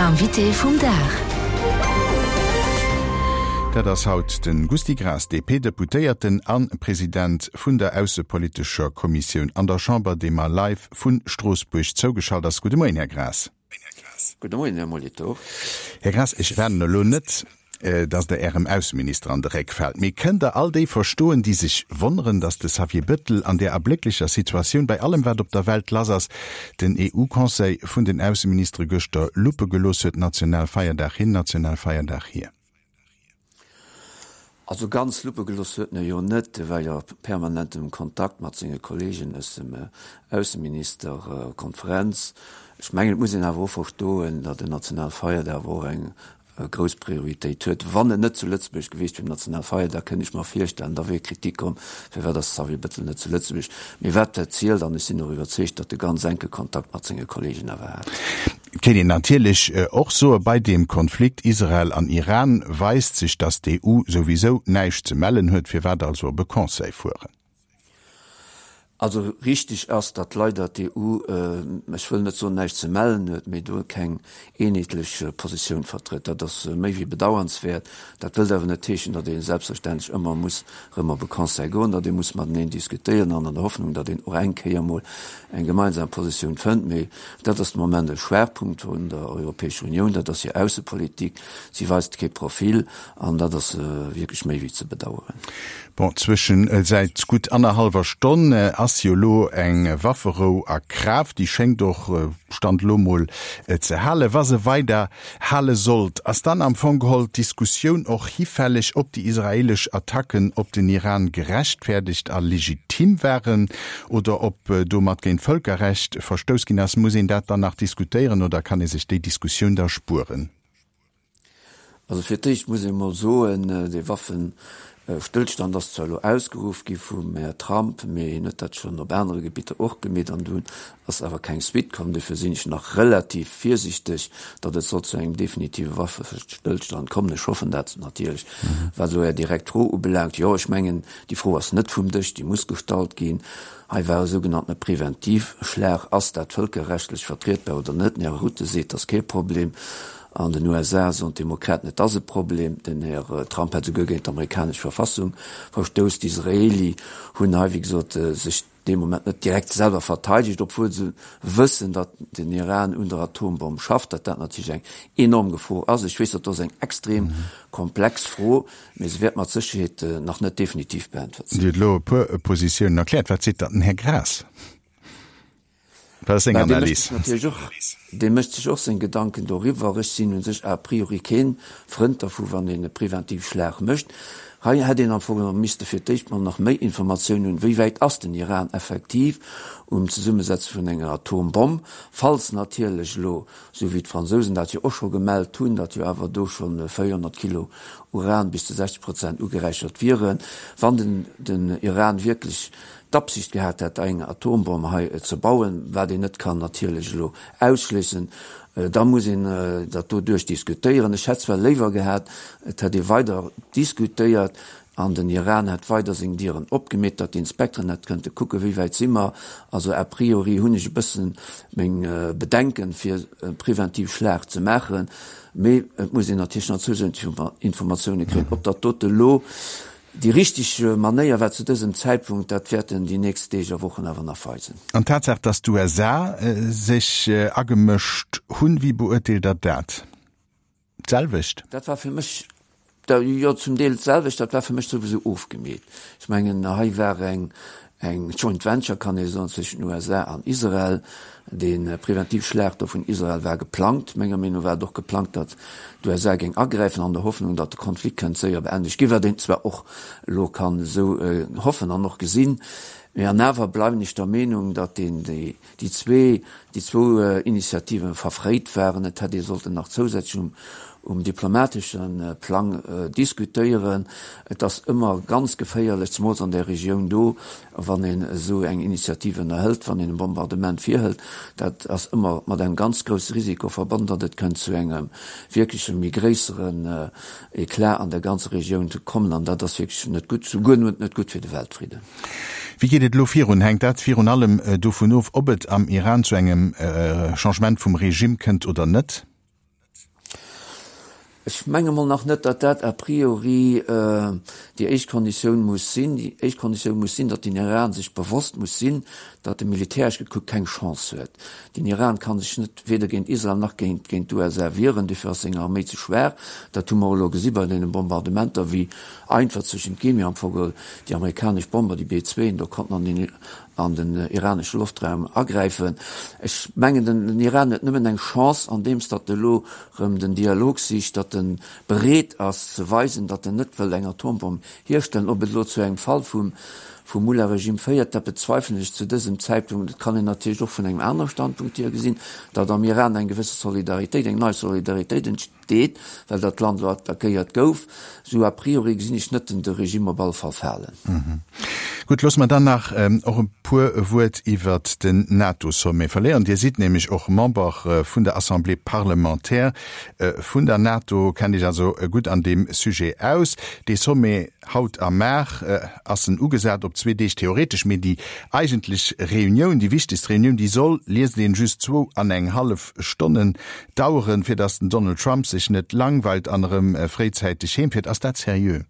Invité vum Dag. Dat ass haut de Gusty Graas, DP-Deputéierten a President vun der aussepolitescher Kommissioun an der Chamber, dee mer live vu Stroossbuerg zougeschalt ass. Gudde Moien, Här Graas. Gudde Moien, Här Molitor. Här Graas, ech warnen elo net, datt Der Ärem Ausseminister an de Réck faalt, mee kënnt Der all déi verstoen, déi sech wonneren, datt de Xavier Bettel an där erblécklecher Situatioun, bei allem wat op der Welt lass ass, den EU-Conseil vun den Ausseministere gëschter luppe gelooss huet, Nationalfeierdag hin, Nationalfeierdag hier? Also ganz luppe gelooss huet en e jo net, e war jo a permanentem Kontakt mat senge Kollegen aus dem Ausseministerkonferenz. Ech mengen, et muss een awer och verstoen, datt en Nationalfeierdag awer och eng grouss Prioritéit huet. Wann en net zu Lëtzebuerg gewiescht wier um Nationalfeierdag, kënnt ech mer virstellen, da wier Kritik komm, firwat ass de Xavier Bettel net zu Lëtzebuerg. Mee wat dat zielt, an ech sinn och iwwerzeegt, datt e ganz enke Kontakt mat senge Kollegen awer hat. Et kéint een natierlech och soen, bei deem Konflikt Israel an Iran weist sech, datt d'EU souwisou näischt ze mellen huet. Firwat also op e Conseil fueren? Also richteg ass, datt leider d'EU, ech wëll net soen näischt ze mellen huet, mee do keng eenheetlech Positioun vertrëtt. Dat ass méi wéi bedauernswäert. Dat wëllt awer net heeschen, datt ee selbstverständlech ëmmer muss erëm op e Conseil goen, datt ee muss mateneen diskutéieren an an der Hoffnung, datt een och eng Kéier emol eng gemeinsam Positioun fënnt. Mee dat ass de Moment e Schwaachpunkt vun der Europäescher Unioun, dat ass hir Aussepolitik. Si weist kee Profil an dat ass wierklech méi wéi ze bedaueren. Bon, zwëschen säit gutt annerhallwer Stonn ass jo elo eng Wafferou a Kraaft. Déi schéngt och, Stand elo mol, ze halen. Wa se weider hale sollt, ass dann am Fong geholl d'Diskussioun och hifälleg, ob déi israeelesch Attacken op den Iran gerechtfäerdegt a legitim waren oder ob domat géint d'Vëlkerrecht verstouss ginn ass. Muss een dat dann nach diskutéieren oder kann ee sech déi Diskussioun da spueren? Also fir d'éischt muss ee mol soen, dee Waffestëllstand ass zwar elo ausgeruff gi vum Här Trump, mee hien huet dat schonn op anere Gebitter och gemeet an dunn ass awer keng Suite komm. Dofir sinn ech nach relativ virsichteg, datt et soll zu engem definitive Waffestëllstand kommen. Ech hoffen dat natierlech. Wat elo Är direkt Fro ubelaangt, jo, ech mengen, déi Fro ass net vum Dësch, déi muss gestallt ginn. Hei war e sougenanntene Preventivschlag. Ass dat vëlkerrechtlech vertrietbar oder net? Den Här Rutte seet, dat ass kee Problem. An den USA soen d'Demokraten, et ass e Problem. Den Här Trump hätt esouguer géint d'amerikanesch Verfassung verstouss. D'Israeli hunn hei, wéi gesot, sech dee Moment net direkt selwer verteidegt, obwuel se wëssen, datt den Iran un der Atombomm schafft, datt dat natierlech eng enorm Gefor ass. Ech weess, dat ass eng extrem komplex Fro, mee se wäert mat Sécherheet nach net definitiv beäntwert sinn. Dir hutt elo e puer Positiounen erkläert. Wat seet dann den Här Graas? Wat ass seng Analys? Dee mécht sech och seng Gedanken doriwwer. Ech sinn u sech a priori kee Frënd dervu wann een e Preventivschlag mécht. Hei hätt een am Fong geholl misste fir d'éischt mol nach méi Informatiounen hunn, wéi wäit ass den Iran effektiv um Zesummesetze vun enger Atombomm, falls natierlech elo, esou wéi d'Fransousen dat jo och scho gemellt hunn, datt jo awer do scho 400 Kilo Uran bis zu 60 Prozent ugeräichert wieren, wann den Iran wierklech d'Absicht gehat hätt, eng Atombomm hei ze bauen, wat een net kann natierlech elo ausschléissen, da muss een dat do duerchdiskutéieren. Ech hätt zwar léiwer gehat, et hätt ee weider diskutéiert an den Iran hätt weider seng Dieren opgemeet, datt d'Inspekteren hätt kënnte kucken, wéi wäit si mer. Also a priori hunn ech e bësse meng Bedenken, fir e preventiv Schlag ze maachen, mee et muss een natierlech nach zousätzlech Informatioune kréien, ob dat dote elo Déi richteg Manéier war zu dësem Zäitpunkt, dat wäerten déi nächst Deeg a Wochen awer nach weisen. An d'Tatsaach, datt d'USA sech agemëscht hunn, wéi beurteelt Der dat? D'selwecht? Dat war fir mech, jo zum Deel d'selwecht, dat war fir mech souwisou ofgemeet. Ech mengen, hei war eng Eng Joint Venture, kann ee soen, zwëschen den USA an Israel. Dee Preventivschlag do vun Israel war geplangt. Menger Meenung no war et och geplangt, datt d'USA géing agräifen, an der Hoffnung, datt de Konflikt kënnt séier beendegt ginn, wat een zwar och elo kann esou hoffen an och gesinn. Mee an awer bleiwen ech der Meenung, datt een déi déi zwee, déi zwou Initiativen verfréit waren. Et hätt ee sollten nach zousätzlech um, um diplomatesche Plang diskutéieren. Et ass ëmmer ganz geféierlech, zemools an där Regioun do, wann een esou eng Initiative ënnerhëlt, wann een e Bombardement virhëlt. Dat ass ëmmer mat engem ganz grousse Risiko verbonnen, datt et kënnt zu engem wierkleche méi gréisseren Eclat an der ganzer Regioun kommen. An dat ass wierklech net gutt, souguer net gutt fir de Weltfridden. Wéi geet et elo virun? Hänkt dat virun allem dovun of, ob et am Iran zu engem Changement vum Regime kënnt oder net? Ech menge mol nach net, datt dat a priori déi éischt Konditioun muss sinn. Déi éischt Konditioun muss sinn, datt den Iran sech bewosst muss sinn, datt e militäresch gekuckt keng Chance huet. Den Iran ka sech net weder géint Israel nach géint géint d'USA wieren, dofir ass seng Arméi ze schwaach. Dat hu mer elo gesi bei deene Bombardementer, wéi einfach zwëschent d'Gemi am Fong déi amerikanesch Bomber, déi B-zweeën do konnten an den an den iranesche Loftraum agräifen. Ech mengen, den Iran huet nëmmen eng Chance, andeems datt e elo erëm den Dialog sicht, datt e bereet ass ze weisen, datt en net wëll eng Atombomm hierstellen. Ob et elo zu engem Fall vum vum Mullah-Regime féiert, dat bezweifelen ech zu dësem Zäitpunkt. Et kann een natierlech och vun engem anere Standpunkt hier gesinn, datt am Iran eng gewësse Solidaritéit, eng nei Solidaritéit entsteet. Deet, well dat Land elo attackéiert gouf. Sou a priori gesinn ech net den de Regime op alle Fall falen. Gutt, loosse mer dann nach och e puer Wuert iwwert den NATO-Sommet verléieren. Dir sidd nämlech och Member vun der Assemblée parlementaire vun der NATO, kennt Iech also gutt an deem Sujet aus. Dee Sommet haut a mar ass en ugesat op zwee Deeg theoretesch, mee déi eigentlech Reunioun, déi wichtegst Reunioun, déi soll, liest een, just zwou an eng hallef Stonnen daueren, fir datt den Donald Trump sech net langweilt an erëm fréizäiteg heem fiert. Ass dat seriö?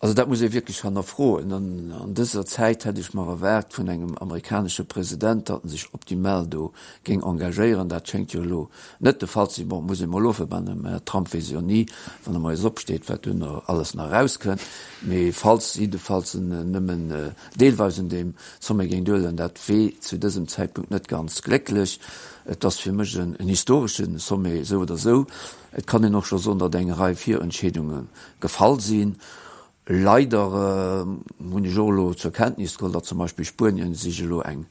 Also dat muss ee wierklech hannerfroen. An an dëser Zäit hätt ech mer erwaart vun engem amerikanesche President, datt en sech optimal do géing engagéieren. Dat schéngt jo elo net de Fall ze sinn. Bon, muss ee mol ofwaarden, beim Här Trump weess ee jo ni, wann e moies opsteet, wat duerno alles nach erauskënnt. Mee falls jiddefalls en nëmmen deelweis un deem Sommet géing duelen, dat wee zu dësem Zäitpunkt net ganz glécklech. Et ass fir mech en historesche Sommet, esou oder esou. Et kann een och scho soen, datt eng Rei Virentscheedunge gefall sinn. Leider hunn ech och elo zur Kenntnis geholl, datt zum Beispill Spuenien sech elo eng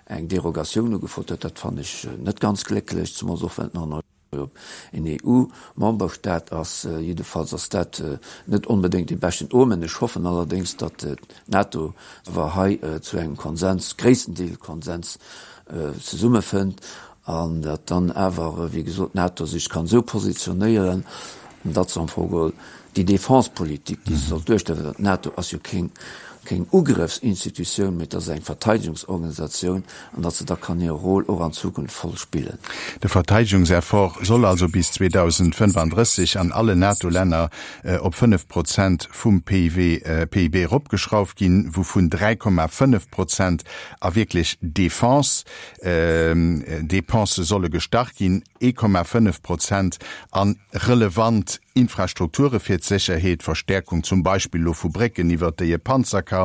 Derogatioun ugefrot huet. Dat fannen ech net ganz glécklech, zemools och well et nach en EU-Memberstaat ass. Jiddefalls ass dat net onbedéngt dee beschten Omen. Ech hoffen allerdéngs, datt d'NATO awer hei zu engem Konsens, gréisstendeel Konsens, zesummefënnt an datt dann awer, wéi gesot, d'NATO sech kann esou positionéieren, datt se am Fong geholl déi Defense-Politik, déi se soll duerstellen, well d'NATO ass jo keng, keng Ugrëffsinstitutioun, mee et ass eng Verteidegungsorganisatioun, an datt se da kann hire Rôle och an Zukunft voll spillen. De Verteidegungseffort soll also bis 2035 an allen NATO-Länner op 5 Prozent vum PIB eropgeschrauft ginn, wouvun 3,5 Prozent a wierklech Defense-Depensë solle gestach ginn, 1,5 Prozent a relevant Infrastrukture fir d'Sécherheet, Verstäerkung zum Beispill elo vu Brécken, iwwert déi e Panzer ka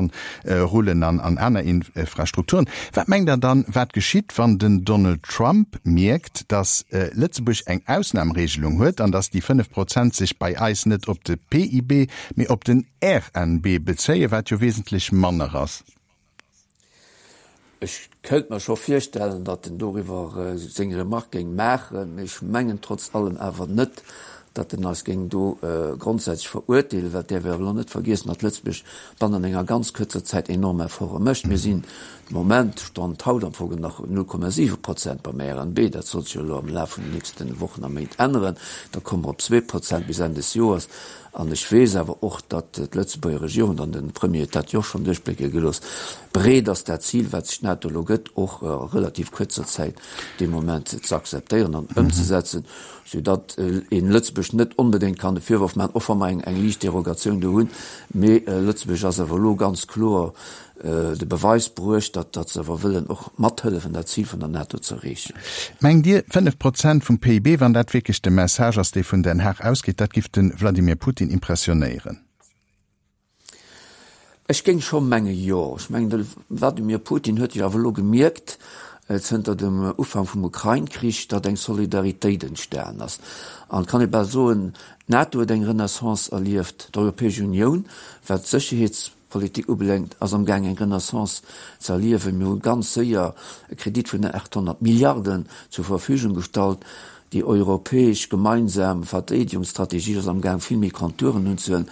rullen an aner Infrastrukturen. Wat mengt Der dann, wat geschitt, wann den Donald Trump mierkt, datt Lëtzebuerg eng Ausnamregelung huet an datt déi 5 Prozent sech bei eis net op de PIB, mee op den RNB bezéien, wat jo wesentlech manner ass? Ech kéint mer scho virstellen, datt en doriwwer seng Remarque géing maachen, mee ech mengen trotz allem awer net, datt en eis géing do grondsätzlech verurteelen, well et däerf ee awer elo net vergiessen, datt Lëtzebuerg bannent enger ganz kuerzer Zäit enorm Efforte mécht. Mir sinn de Moment, Stand haut am Fong nach 0,7 Prozent beim RNB, dat sollt sech jo elo am Laf vun den nächste Wochen a Méint änneren, da komme mer op 2 Prozent bis Enn des Joers. An ech weess awer och, datt d'Lëtzebuerger Regierung, an de Premier huet dat jo och schonn duerchblécke gelooss, bereet ass, dat Zil, wat sech d'NATO elo gëtt, och a relativ kuerzer Zäit dee Moment ze akzeptéieren an ëmzesetzen, soudatt een Lëtzebuerg net onbedéngt kann de Virworf maachen, och wa mer eng liicht Derogatioun do hunn, mee Lëtzebuerg ass awer elo ganz kloer de Beweis bruecht, datt datt se awer wëllen och mathëllefen, dat Zil vun der NATO ze erreechen. Mengt Dir, 5 Prozent vum PIB, wann dat wierklech de Message ass, dee vun Den Haag ausgeet, dat giff de Vladimir Putin impressionéieren? Ech géing scho menge jo. Ech mengen, de Vladimir Putin huet jo awer elo gemierkt, zënter dem Ufank vum Ukrain-Krich, datt eng Solidaritéit entstan ass. An et kann ee bal soen, d'NATO huet eng Renaissance erlieft, d'Europäesch Unioun, wat d'Sécherheets Politik ubelaangt, ass am gaang eng Renaissance ze erliewen. Mir hu ganz séier e Kredit vun 800 Milliarden zur Verfügung gestallt. Déi europäesch gemeinsam Verdeedegungsstrategie ass am gaang vill méi Konturen unzehuelen.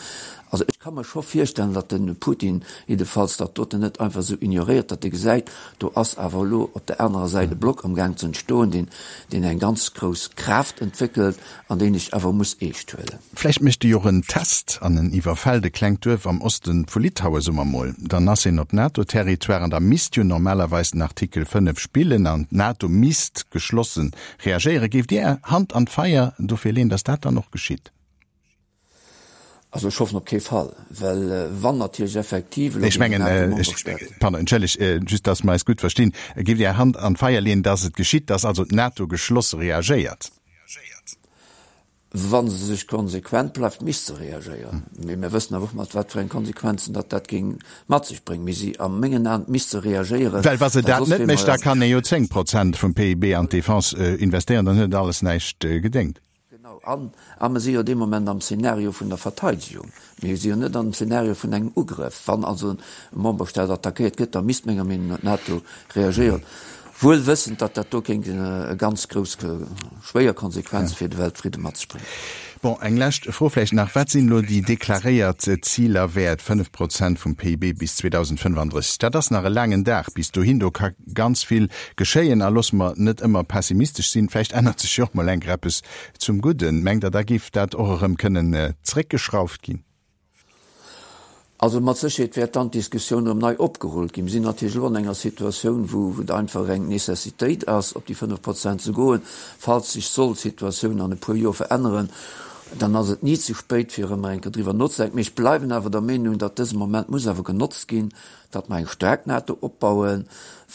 Also ech ka mer scho virstellen, datt de Putin jiddefalls dat doten net einfach esou ignoréiert, datt e gesäit, do ass awer elo op der anerer Säit e Block amgaang ze entstoen, deen, deen eng ganz grouss Kraaft entwéckelt an deen ech awer muss eescht huelen. Vläicht mécht e jo och en Test an en iwwerfält e klengt Duerf am Oste vu Litaue, soe mer mol. Dann ass een op NATO-Territoire an da misst jo normalerweis den Artikel 5 spillen an d'NATO misst geschlosse reagéieren. Géift Dir Är Hand an d'Feier dofir leeën, datt dat dann och geschitt? Also ech hoffen op kee Fall, well wann natierlech effektiv elo Ech mengen, pardon, entschëlleg, just datt mer eis gutt verstinn, Géift Dir Är Hand an d'Feier leeën, datt et geschitt, datt also d'NATO geschlosse reagéiert? Wa se sech konsequent bleift, misst se reagéieren. Mee mir wëssen awer och, mat wat fir eng Konsequenzen datt dat géing mat sech bréngen. Mee si, a mengen Aen, misst se reagéieren, Well wa se dat net mécht, da kann ee jo 10 Prozent vum PIB an d'Defense investéieren, dann huet et alles näischt gedéngt. Genau, an a mer si jo dee Moment am Szenario vun der Verteidegung. Mir si jo net am Szenario vun engem Ugrëff. Wann also e Memberstaat attackéiert gëtt, da misst menger Meenung no d'NATO reagéieren, wuel wëssend, datt dat do kéint e ganz grouss schwéier Konsequenze fir de Weltfridde mat sech bréngen. Bon, eng lescht Fro vläicht nach, Wat sinn elo déi deklaréiert Ziler wäert, 5 Prozent vum PIB bis 2035? Dat ass nach e laangen Dag bis dohin. Do ka ganz vill geschéien. A loosse mer net ëmmer pessimistesch sinn, vläicht ännert sech jo och mol eng Kéier eppes zum Gudden. Mengt Der, da géif dat och erëm kënnen zréckgeschrauft ginn? Also mat Sécherheet wäert dann d'Diskussioun erëm nei opgerullt ginn. Mir sinn natierlech elo an enger Situatioun, wou et einfach eng Necessitéit ass, op déi 5 Prozent ze goen. Falls sech sollt d'Situatioun an e puer Joer veränneren, dann ass et ni ze spéit, fir erëm eng Kéier driwwer nozedenken. Mee ech bleiwen awer der Meenung, datt dëse Moment muss awer genotzt ginn, datt mer eng staark NATO opbauen,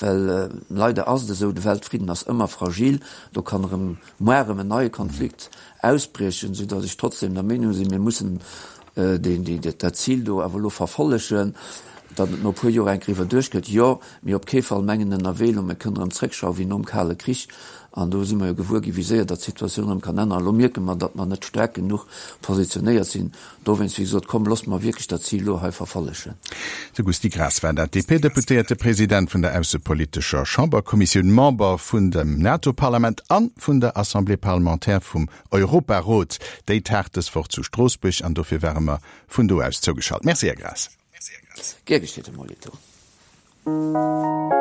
well leider ass et esou, de Weltfridden ass ëmmer fragil, do kann erëm muar erëm en neie Konflikt ausbriechen, soudatt ech trotzdem der Meenung sinn, mir mussen dat Zil do awer elo verfollegen. Datt et no e puer Joer eng Kéier iwwerduecht gëtt, jo, mee op kee Fall mengen ënnerwee elo, mir kënnen erëm zréckschrauwen wéi nom Kale Krich. An do si mer jo gewuer ginn, wéi séier datt d'Situatioun erëm kann änneren. Elo mierke mer, datt mer net staark genuch positionéiert sinn. Dowéinst, wéi gesot, komm, loosst mer wierklech dat Zil elo hei verfollegen. De Gusty Graas war dat, DP-Deputéierte, President vun der aussepolitescher Chamberkommissioun, Member vun dem NATO-Parlament an vun der Assemblée parlementaire vum Europarot. Déi taagt dës Woch zu Stroossbuerg an dofir ware mer vun do aus zougeschalt. Merci, Här Graas. Gär geschéet, Här Molitor.